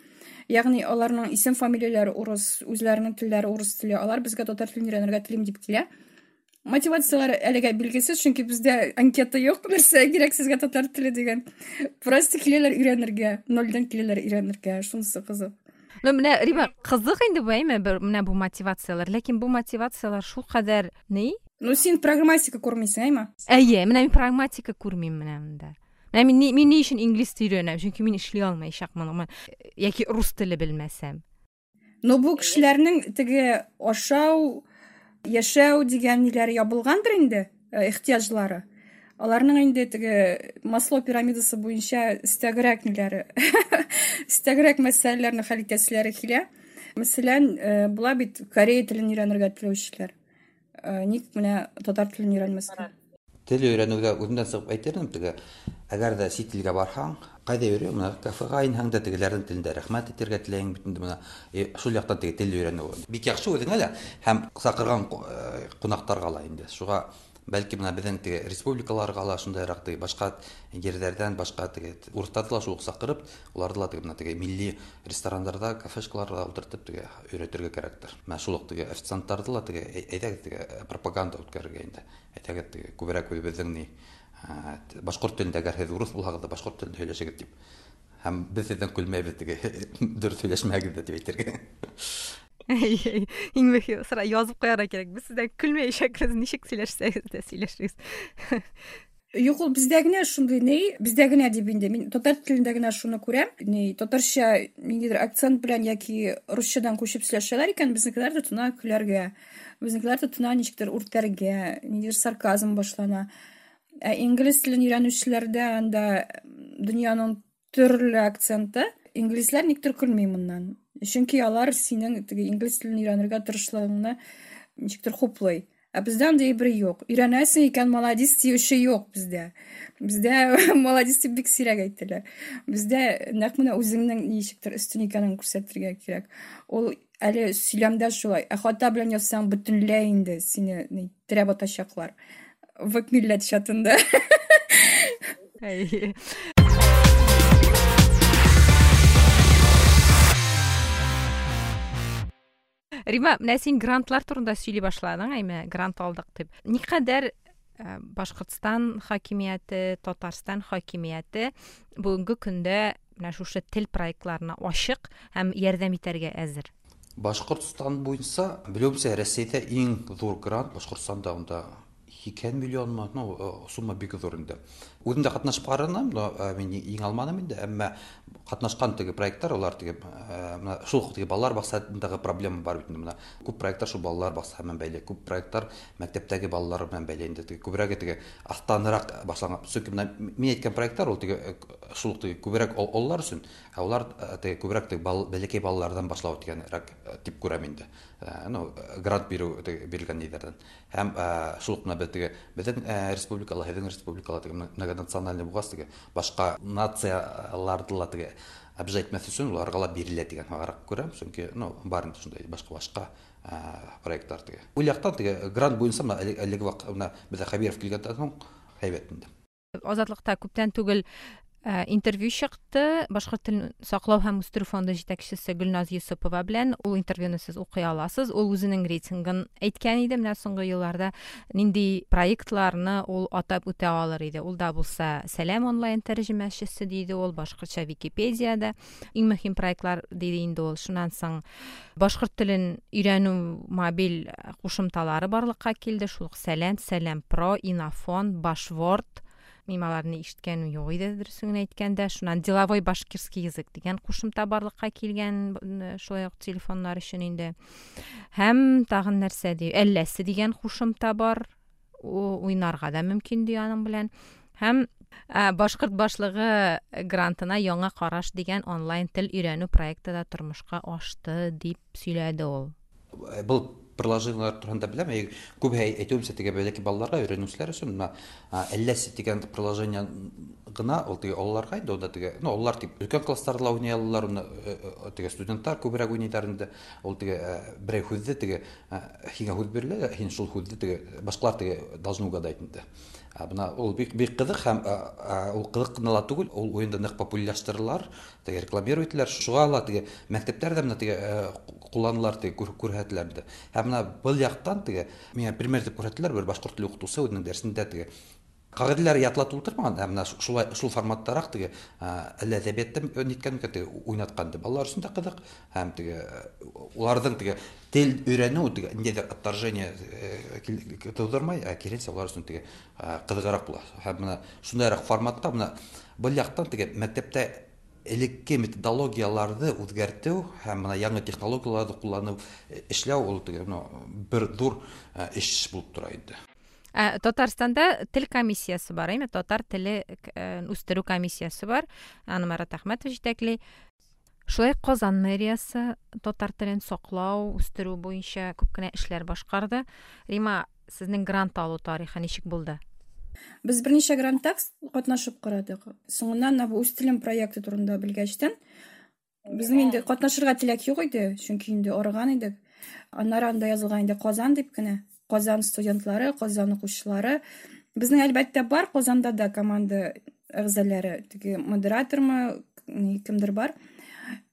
Ягъни аларның исем фамилияләре урыс, үзләренең телләре урыс теле. Алар безгә татар телен өйрәнергә телим дип килә. Мотивацияләре әлегә билгесез, чөнки бездә анкета юк, нәрсә кирәк сезгә татар теле дигән. Просто киләләр өйрәнергә, нольдән киләләр өйрәнергә, шунысы кызык. Ну, менә, Рима, кызык инде бу, әйме, бер, менә бу мотивацияләр. Ләкин бу мотивацияләр шул кадәр ни? Ну, син прагматика күрмисең, әйме? Әйе, менә мин прагматика күрмим менә монда. Менә мин ни өчен инглиз теле өйрәнәм? Чөнки мин эшли алмаячакмын, яки рус теле белмәсәм. Но бу кешеләрнең теге ашау, яшәү дигән ниләре ябылгандыр инде, ихтыяҗлары. Аларның инде теге Маслоу пирамидасы буенча өстәгерәк ниләре, өстәгерәк мәсьәләләрне хәл итәселәре килә. Мәсәлән, була бит корея телен өйрәнергә теләүчеләр. Ник менә татар телен өйрәнмәскә? Тел өйрәнүгә үземнән чыгып әйтер идем, теге, әгәр дә чит илгә барһаң, кайда йөри, менә кафега инһәң дә тегеләрнең телендә рәхмәт әйтергә теләйң бит инде менә. Шул яктан теге тел өйрәнү бик яхшы үзеңә дә һәм чакырган кунакларга ла инде. Шуга бәлки менә безнең теге республикаларга ла шундыйрак теге башка җирләрдән, башка теге урысларны да шул ук чакырып, уларны да теге менә теге милли рестораннарда, кафешкаларда утыртып теге өйрәтергә кирәктер. Менә шул ук теге официантларны да теге әйдәгез теге пропаганда үткәрергә инде. Әйдәгез теге күбрәк үзебезнең ни башкорт телендә, әгәр һеҙ урыҫ булһағыҙ да башҡорт телендә һөйләшегеҙ тип. Һәм беҙ һеҙҙән көлмәйбеҙ теге дөрөҫ һөйләшмәгеҙ ҙә тип әйтергә. Иң мөһиме сора язып ҡуярға кәрәк. Беҙ һеҙҙән көлмәйәсәкбеҙ, нисек һөйләшһәгеҙ ҙә һөйләшегеҙ. Юк, ул бездә генә шундый ни, бездә генә дип инде. Мин татар телендә генә шуны күрәм. Ни, татарча ниндидер акцент белән яки русчадан күчеп сөйләшәләр икән, безнекеләр тотына көләргә. Безнекеләр тотына ничектер үртәргә, ниндидер сарказм башлана. Ә инглиз телен өйрәнүчеләрдә анда дөньяның төрле акценты. Инглизләр никтер көлми моннан. Чөнки алар синең теге инглиз телен өйрәнергә тырышлыгыңны ничектер хуплый. Ә бездә андый әйбер юк. Өйрәнәсең икән, молодец диюче юк бездә. Бездә молодец дип бик сирәк әйтәләр. Бездә нәкъ менә үзеңнең ничектер өстен икәнен күрсәтергә кирәк. Ул әле сөйләмдә шулай. Ә хата белән язсаң, бөтенләй инде сине ни, терәп атачаклар. Век милләт чатында. Әйе. Рима, менә син грантлар турында сөйли башладың, әйме, грант алдык дип. Никадәр Башкортстан хакимияте, Татарстан хакимияте бүгенге көндә менә шушы тел проектларына ачык һәм ярдәм итәргә әзер? Башкортстан буенча, белүемчә, Рәсәйдә иң зур грант Башкортстанда, анда 80 миллионмы, ну, сумма бик зур инде. Үзем дә катнашып карадым, но мин иң алмадым инде, әмма катнашкан теге проектлар, алар теге менә шул ук теге балалар бакчасындагы проблема бар бит инде менә. Күп проектлар шул балалар бакчасы белән бәйле, күп проектлар мәктәптәге балалар белән бәйле инде. Теге күбрәге теге астанрак башланган. Чөнки менә мин әйткән проектлар ул теге шул ук теге күбрәк олылар өчен, ә улар теге күбрәк теге бәләкәй балалардан башлау дигәнрәк дип күрәм инде. Ну, грант бирү бирелгән ниләрдән. Һәм шул ук менә без теге безнең республикала, һеҙҙең республикала теге многонациональный булғас, теге башҡа нацияларҙы ла теге обижать итмәҫ өсөн уларға ла бирелә тигән һымағыраҡ күрәм, сөнки, ну, бар инде шундай башҡа-башҡа проекттар теге. Ул яҡтан теге грант буйынса менә әлеге ваҡыт менә беҙҙә Хәбиров килгәндән һуң һәйбәт инде. Азатлыҡта күптән түгел интервью чыкты. Башкорт телен саклау һәм үстерү фонды җитәкчесе Гөлназ Йосыпова белән. Ул интервьюны сез укый аласыз. Ул үзенең рейтингын әйткән иде. Менә соңгы елларда нинди проектларны ул атап үтә алыр иде. Ул да булса Сәлам онлайн тәрҗемәчесе диде ул, башкортча Википедияда иң мөһим проектлар диде инде ул. Шуннан соң башкорт телен өйрәнү мобиль кушымталары барлыкка килде. Шул ук Сәлам, Сәлам Про, Инофон, Башворд. Мин аларны ишеткәнем юк иде, дөресен генә әйткәндә. Шуннан деловой башкирский язык дигән кушымта барлыкка килгән, шулай ук телефоннар өчен инде. Һәм тагын нәрсә ди? Әлләсе дигән кушымта бар. Уйнарга да мөмкин ди аның белән. Һәм Башкорт башлыгы грантына яңа караш дигән онлайн тел өйрәнү проекты да тормышка ашты дип сөйләде ул. Был приложениелар турында беләм. Күп әйтүемсә, теге бәләкәй балаларга өйрәнүселәр өчен менә Әлләсе дигән приложение гына ул теге олыларга инде, ул да теге, ну, олылар дип өлкән классларда ла уйный алалар, уны теге студентлар күбрәк уйныйлар инде. Ул теге берәй һүҙҙе теге һиңә һүҙ бирелә, һин шул һүҙҙе теге башҡалар теге должны угадать инде. Бына ул бик бик ҡыҙыҡ һәм ул ҡыҙыҡ ҡына ла түгел, ул уйынды ныҡ популярлаштыралар, теге рекламировать итәләр. Шуға ла теге мәктәптәр ҙә менә теге ҡулланалар, теге күрһәтеләр инде. Һәм менә был яҡтан теге миңә пример итеп күрһәттеләр, бер башҡорт теле уҡытыусы үҙенең дәресендә теге ҡағиҙәләр ятлатып ултырмаған, ә менә шулай шул форматтараҡ теге әллә әҙәбиәттә ниткән микән, теге уйнатҡан инде. Балалар өсөн дә ҡыҙыҡ, һәм теге уларҙың теге тел өйрәнеү теге ниндәйҙер отторжение тыуҙырмай, ә киреһенсә улар өсөн теге ҡыҙығыраҡ була. Һәм менә шундайыраҡ форматта менә был яҡтан теге мәктәптә элекке методологияларҙы үҙгәртеү һәм менә яңы технологияларҙы ҡулланыу эшләү ул теге, ну, бер ҙур эш булып тора инде. Татарстанда тел комиссиясе бар, әйме? Татар теле үстерү комиссиясе бар. Аны Марат Әхмәтов җитәкли. Шулай Казан мэриясе татар телен саклау, үстерү буенча күп кенә эшләр башкарды. Рима, сезнең грант алу тарихы ничек булды? Без берничә грантта катнашып карадык. Соңыннан менә бу үз телем проекты турында белгәчтән, безнең инде катнашырга теләк юк иде, чөнки инде арыган идек. Аннары анда язылган инде Казан дип кенә. Казан студентлары, Казан укучылары. Безнең әлбәттә бар Казанда да команда әгъзалары, теге модератормы, кемдер бар.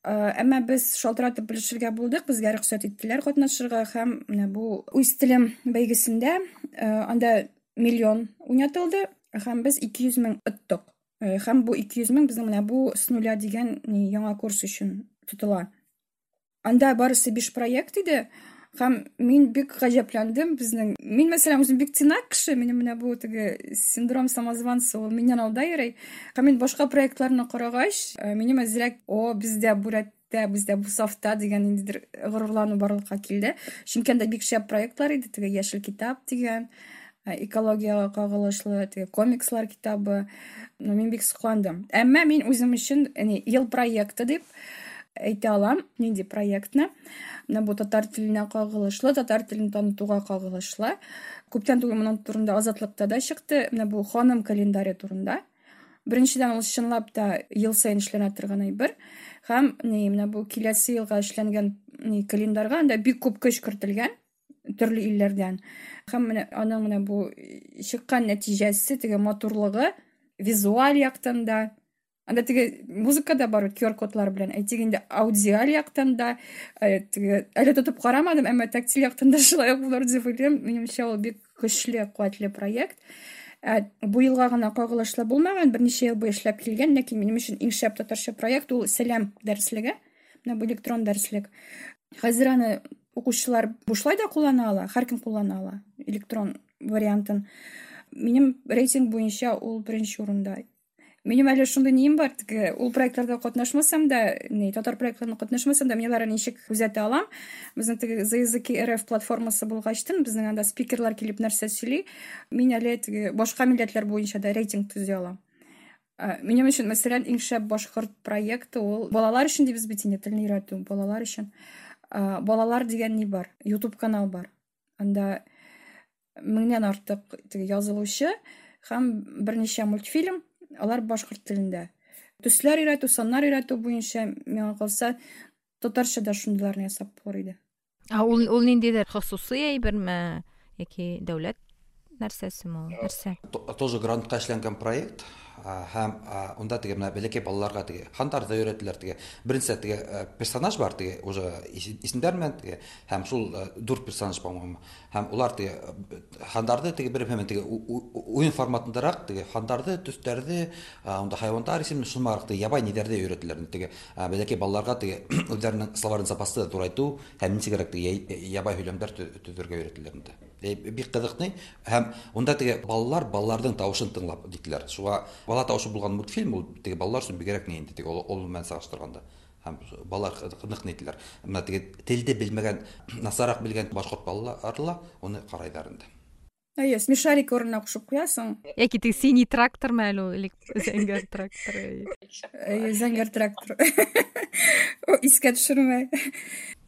Әмма без шалтыратып белешергә булдык, безгә рөхсәт иттеләр катнашырга һәм менә бу үз телем бәйгесендә анда миллион уйнатылды һәм без 200 мең оттык. Һәм бу 200 мең безнең менә бу с нуля дигән яңа курс өчен тотыла. Анда барысы 5 проект иде. Һәм мин бик гаҗәпләндем безнең. Мин, мәсәлән, үзем бик тыйнак кеше, минем менә бу теге синдром самозванца, ул миннән алда йөри. Һәм мин башка проектларны карагач, минем әзрәк, о, бездә бу рәттә, бездә бу сафта дигән ниндидер горурлану барлыкка килде. Чөнки анда бик шәп проектлар иде, теге яшел китап дигән, экологияга кагылышлы, теге комикслар китабы. Ну, мин бик сокландым. Әмма мин үзем өчен, ел проекты дип әйтә алам, нинди проектны. Менә бу татар теленә кагылышлы, татар телен танытуга кагылышлы. Күптән түгел моның турында Азатлыкта да чыкты. Менә бу ханым календаре турында. Беренчедән, ул чынлап та ел саен эшләнә торган әйбер. Һәм менә бу киләсе елга эшләнгән календарьга анда бик күп көч кертелгән төрле илләрдән. Һәм менә аның менә бу чыккан нәтиҗәсе, теге матурлыгы визуаль яктан да, анда теге музыка да бар, Q R кодлар белән. Әйтик инде, аудиаль яктан да, теге әле тотып карамадым, әмма тактиль яктан да шулай ук булыр дип уйлыйм. Минемчә, ул бик көчле, куәтле проект. Бу елга гына кагылышлы булмаган, берничә ел буе эшләп килгән, ләкин минем өчен иң шәп татарча проект ул Сәлам дәреслеге. Менә бу электрон дәреслек. Хәзер аны укучылар бушлай да куллана ала, һәркем куллана ала электрон вариантын. Минем рейтинг буенча ул беренче урында. Минем әле шундый нием бар, теге ул проектларда катнашмасам да, ни, татар проектларында катнашмасам да, мин аларны ничек күзәтә алам. Безнең теге За языки РФ платформасы булгачтын, безнең анда спикерлар килеп нәрсә сөйли, мин әле теге башка милләтләр буенча да рейтинг төзи алам. Минем өчен, мәсәлән, иң шәп башкорт проекты ул балалар өчен дибез бит инде, телне өйрәтү, балалар өчен. Балалар дигән ни бар? YouTube канал бар. Анда меңнән артык теге язылучы һәм берничә мультфильм, алар башкорт телендә. Төсләр өйрәтү, саннар өйрәтү буенча, миңа калса, татарча да шундыйларны ясап булыр иде. Ә ул ниндидер хосусый әйберме яки дәүләт нәрсәсеме ул? Нәрсә? Тоже грантка эшләнгән проект. Һәм унда теге менә бәләкәй балаларга теге хандарда өйрәтәләр теге. Беренче теге персонаж бар теге уже исемнәр белән теге һәм шул дүрт персонаж, по-моему. Һәм улар теге хандарды теге бер һәм теге уен форматындарак теге хандарды, төсләрҙе, унда хайвандар исемен шулмараҡ теге ябай ниҙәрҙе өйрәтәләр. Теге бәләкәй балаларға теге үҙҙәренең словарный запасты ҙурайтыу һәм нисегерәк теге ябай һөйләмдәр төҙөргә өйрәтәләр инде. Бик ҡыҙыҡ ни. Һәм унда теге балалар балаларҙың тауышын тыңлап диттеләр. Шуға бала тауышы булған мультфильм ул теге балалар өсөн бигерәк ни инде теге ул менән сағыштырғанда. Һәм балалар ныҡ ни тиләр. Бына теге телде белмәгән, насараҡ белгән башҡорт балалары ла уны ҡарайҙар инде. Әйе, смешарик урынына ҡушып ҡуяһың. Яки теге синий трактормы әле ул, или зәңгәр трактор? Әйе, зәңгәр трактор. О, искә төшермә.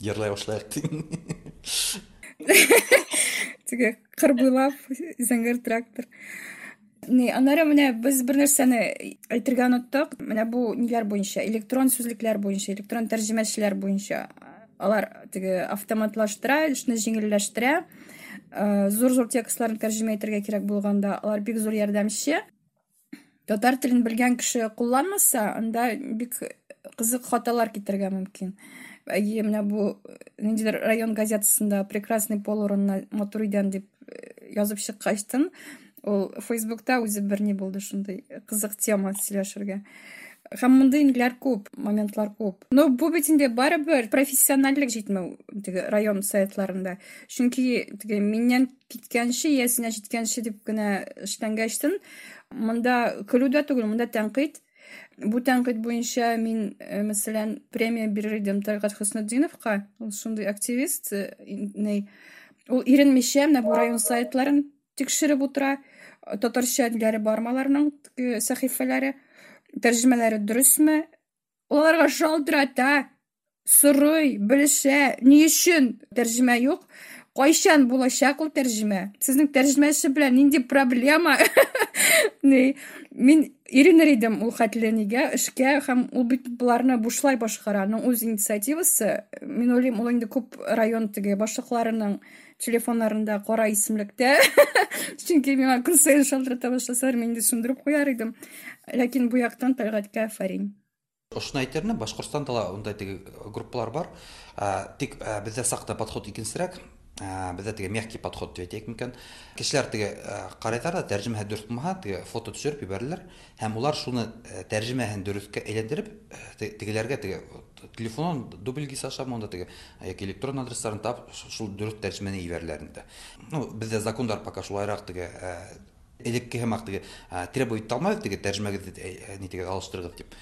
Йырлай башлайыҡ тиң. Теге ҡыр буйлап зәңгәр трактор. Ни, аннары менә без бер нәрсәне әйтергә оныттык. Менә бу ниләр буенча, электрон сүзлекләр буенча, электрон тәрҗемәчеләр буенча. Алар теге автоматлаштыра, эшне җиңелләштерә. Зур-зур текстларны тәрҗемә итәргә кирәк булганда, алар бик зур ярдәмче. Татар телен белгән кеше кулланмаса, анда бик кызык хаталар китерергә мөмкин. Әйе, менә бу ниндидер район газетасында прекрасный пол урынына матур идән дип язып чыккачтын, ул Фейсбукта үзе бер ни булды, шундый кызык тема сөйләшергә. Һәм мондый ниләр күп, моментлар күп. Но бу бит инде барыбер профессиональлек җитмәү теге район сайтларында. Чөнки теге миннән киткәнче, иясенә җиткәнче дип кенә эшләнгәчтен, монда көлү дә түгел, монда тәнкыйть. Бу тәнкыйть буенча мин, мәсәлән, премия бирер идем Тәлгать Хөснетдиновка. Ул шундый активист, ни, ул иренмичә менә бу район сайтларын тикшереп утыра. Татарча ниләре бармы аларның, теге сәхифәләре, тәрҗемәләре дөресме? Ул аларга шалтырата, сорый, белешә, ни өчен тәрҗемә юк? Кайчан булачак ул тәрҗемә? Сезнең тәрҗемәче белән нинди проблема? Ни, мин иренер идем ул хәтле нигә эшкә, һәм ул бит боларны бушлай башкара, аның үз инициативасы. Мин уйлыйм, ул инде күп район теге башлыкларының телефоннарында кара исемлектә. Чөнки миңа көн саен шалтырата башласалар, мин инде сүндереп куяр идем. Ләкин бу яктан Тәлгатькә афәрин. Ошоны әйтер идем, Башкортстанда ла ундай теге группалар бар. Тик беҙҙә саҡта подход икенсерәк. Беҙҙә теге мягкий подход тип әйтәйек микән. Кешеләр теге ҡарайҙар ҙа, тәржемәһе дөрөҫ булмаһа, теге фото төшөрөп ебәрәләр. Һәм улар шуны тәржемәһен дөрөҫкә әйләндереп, тегеләргә теге телефонын дубльгис аша монда теге яки электрон адрестарын тап, шул дөрөҫ тәржемәне ебәрәләр инде. Беҙҙә закондар пока шулайыраҡ теге, элекке һымаҡ теге, требовать итә алмайбыҙ теге тәржемәгеҙҙе, ни теге алыштырығыҙ тип.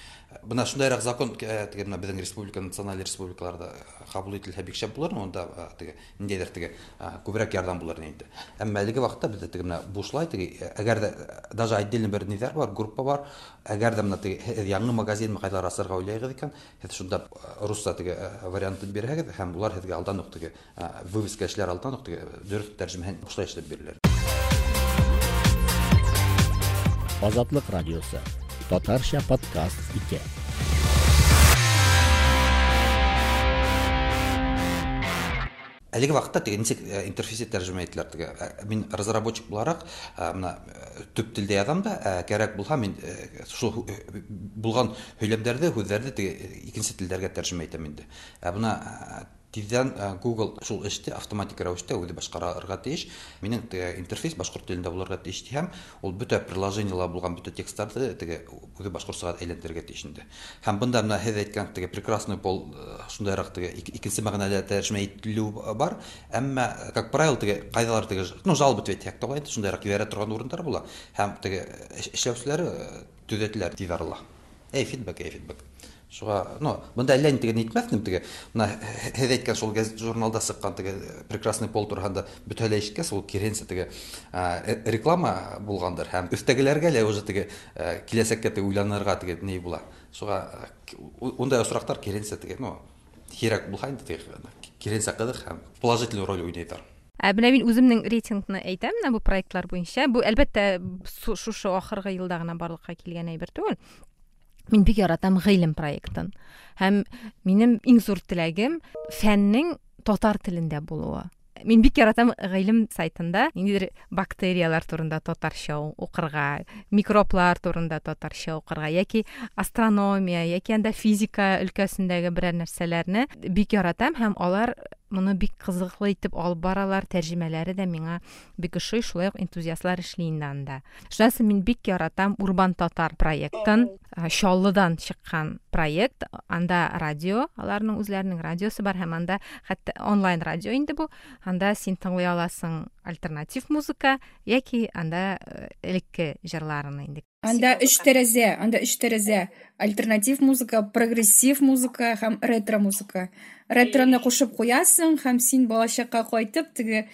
Бына шундайыраҡ закон, теге бына беҙҙең республика, националь республикаларҙа ҡабул ителһә бик шәп булыр, унда, теге ниндәйҙер теге, күберәк ярҙам булыр инде. Әммә әлеге ваҡытта беҙҙә теге бына бушлай теге, әгәр ҙә даже отдельно бер ниҙәр бар, группа бар, әгәр ҙә бына теге һеҙ яңы магазин ҡайҙалар асырға уйлайығыҙ икән, һеҙ шунда русса теге, вариантын бирһәгеҙ, һәм улар һеҙгә алдан уҡ теге, вывеска эшләр алдан уҡ теге дөрөҫ тәржемәһен бушлай эшләп бирәләр. Азатлык радиосы. Татарча подкаст итә. Әлеге ваҡытта теге нисек, интерфейсы тәржемә ителәр теге. Мин разработчик булараҡ, бына, төп телдә яҙам да, кәрәк булһа мин, шул булған һөйләмдәрҙе, һүҙҙәрҙе теге икенсе телдәргә тәржемә итәм инде. Ә бына, Тиздән Google шул эште автоматик рәвештә үзе башкарырга тиеш. Минем теге интерфейс башкорт телендә булырга тиеш һәм ул бөтә приложениелар булган бөтә текстларны теге үзе башкортчага әйләндерергә тиеш инде. Һәм бында менә һеҙ әйткән теге прекрасный пол шундайрак теге икенсе мәгънәлә тәрҗемә ителү бар. Әмма, как правило, теге кайдалар теге, ну, жалоба дип әйтсәк тә була инде, шундайрак ебәрә торган урыннар була. Һәм теге эшләүчеләр төҙәтеләр тиҙ арала. Эй, фидбэк, эй, фидбэк. Шуға, ну, бында әллә ни теге нитмәҫ инем теге. Мына һеҙ әйткән шул гәзит журналда сыҡҡан теге прекрасный пол тураһында бөтәһе лә ишеткәс, ул киреһенсә теге реклама булғандыр. Һәм өҫтәгеләргә лә уже теге киләсәккә теге уйланырға теге ни була. Шуға ундай осраҡтар киреһенсә теге, ну, һирәк булһа инде теге, киреһенсә ҡыҙыҡ һәм положительный роль уйнайҙар. Ә менә мин үземнең рейтингны әйтәм менә бу проектлар буенча. Бу әлбәттә шушы ахыргы елда гына барлыкка килгән әйбер түгел. Мин бик яратам Гыйлем проектын. Һәм минем иң зур теләгем фәннең татар телендә булуы. Мин бик яратам Гыйлем сайтында ниндидер бактериялар турында татарча укырга, микроблар турында татарча укырга яки астрономия, яки анда физика өлкәсендәге берәр нәрсәләрне бик яратам һәм алар моны бик кызыклы итеп алып баралар, тәрҗемәләре дә миңа бик ошый, шулай ук энтузиастлар эшли инде анда. Шуннан соң мин бик яратам Урбан татар проектын, Чаллыдан чыккан проект, анда радио, аларның үзләренең радиосы бар һәм анда хәтта онлайн радио инде бу, анда син тыңлый аласың альтернатив музыка яки анда элекке җырларны инде. Анда өч тәрәзә, анда өч тәрәзә. Альтернатив музыка, прогрессив музыка һәм ретро музыка. Ретроны кушып куясың һәм син балачакка кайтып, теге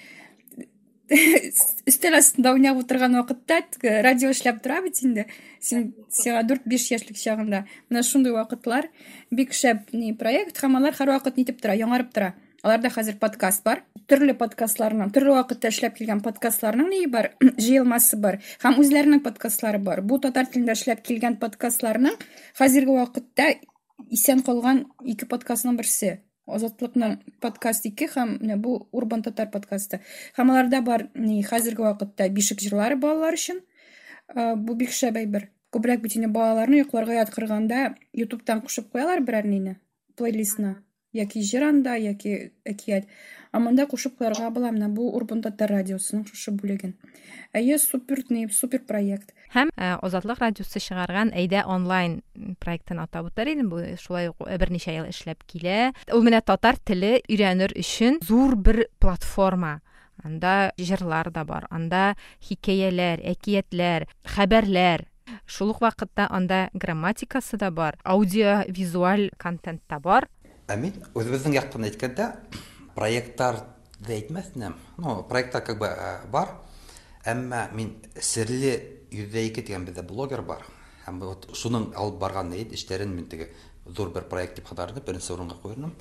өстәл астында уйнап утырган вакытта теге радио эшләп тора бит инде. Син сиңа 4-5 яшьлек чагында. Менә шундый вакытлар бик шәп ни проект һәм алар һәрвакыт нитеп тора, яңарып тора. Аларда хәзер подкаст бар. Төрле подкастларның, төрле вакытта эшләп килгән подкастларның ни бар, җыелмасы бар. Һәм үзләренең подкастлары бар. Бу татар телендә эшләп килгән подкастларның хәзерге вакытта исән калган ике подкастның берсе. Азатлыкның подкаст 2 һәм менә бу Урбан татар подкасты. Һәм аларда бар ни хәзерге вакытта бишек җырлары балалар өчен. Бу бик шәп әйбер. Күбрәк бит инде балаларны йокларга яткырганда YouTube'тан кушып куялар берәр нине, плейлистны. Яки җыр анда, яки әкият. Ә монда кушып куярга була менә бу Урбан татар радиосының шушы бүлеген. Әйе, супер ни, супер проект. Һәм Азатлык радиосы чыгарган Әйдә онлайн проектын атап үтәр идем. Бу шулай ук берничә ел эшләп килә. Ул менә татар теле өйрәнер өчен зур бер платформа. Анда җырлар да бар, анда хикәяләр, әкиятләр, хәбәрләр. Шул ук вакытта анда грамматикасы да бар, аудиовизуаль контент та бар. Ә мин үзебезнең яктан әйткәндә, проектлар да әйтмәс идем. Ну, проектлар как бы бар, әмма мин Серле 102 дигән бездә блогер бар. Һәм вот шуның алып барган эшләрен мин теге зур бер проект дип хатарлап, беренче урынга куйдым.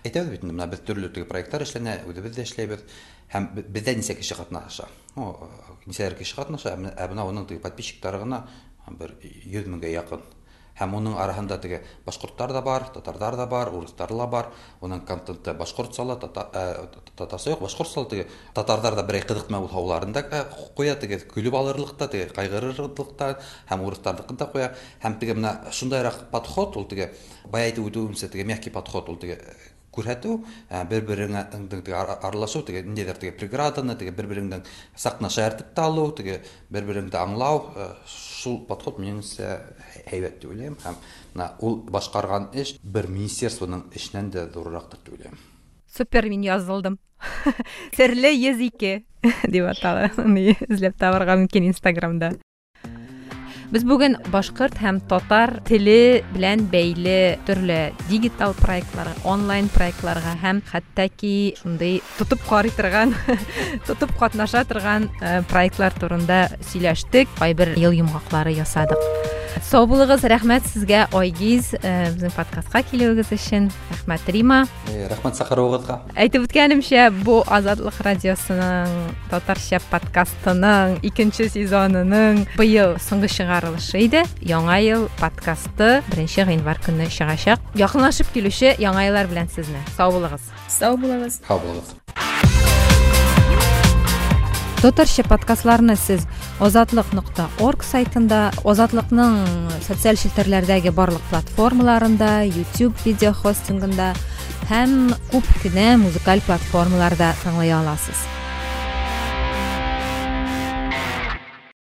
Әйтәбез бит инде, менә без төрле теге проектлар эшләнә, үзебез дә эшләйбез. Һәм бездә нисә кеше катнаша. Ну, нисәләр кеше катнаша, ә менә уның теге подписчиклары гына бер 100 меңгә якын. Һәм уның араһында теге башкортлар да бар, татарлар да бар, урыслар да бар. Уның контенты башкортча ла, татарча юк, башкортча ла теге татарлар да берәй кызыкма булһа, уларын да куя, теге көлеп алырлык та, теге кайгырырлык та, һәм урысларныкын да куя. Һәм теге менә шундайрак подход, ул теге бая әйтеп үтүемчә, теге мягкий подход, ул теге күрһәтү, бер-береңә теге аралашу, теге ниндәйдер теге преграданы, теге бер-береңдән сакны шаяртып та алу, теге бер-береңде аңлау, шул подход минемчә һәйбәт дип уйлыйм. Һәм менә ул башкарган эш бер министерствоның эшеннән дә зуррактыр дип уйлыйм. Супер, мин язылдым. Серле 102 дип атала. Аны эзләп табарга мөмкин Инстаграмда. Без бүген башкорт һәм татар теле белән бәйле төрле дигитал проектларга, онлайн проектларга һәм хәтта ки шундый тотып карый торган, тотып катнаша торган проектлар турында сөйләштек, кайбер ел йомгаклары ясадык. Сау булыгыз, рәхмәт сезгә, Айгиз, безнең подкастка килүегез өчен. Рәхмәт, Рима. Рәхмәт чакыруыгызга. Әйтеп үткәнемчә, бу Азатлык радиосының татарча подкастының икенче сезонының быел соңгы чыгарылышы иде. Яңа ел подкасты 1 гыйнвар көнне чыгачак. Якынлашып килүче яңа еллар белән сезне. Сау булыгыз. Сау булыгыз. Сау булыгыз. Татарча подкастларны сез азатлык нокта орг сайтында, Азатлыкның социаль челтәрләрдәге барлык платформаларында, YouTube видео хостингында, һәм күп кенә музыкаль платформаларда тыңлый аласыз.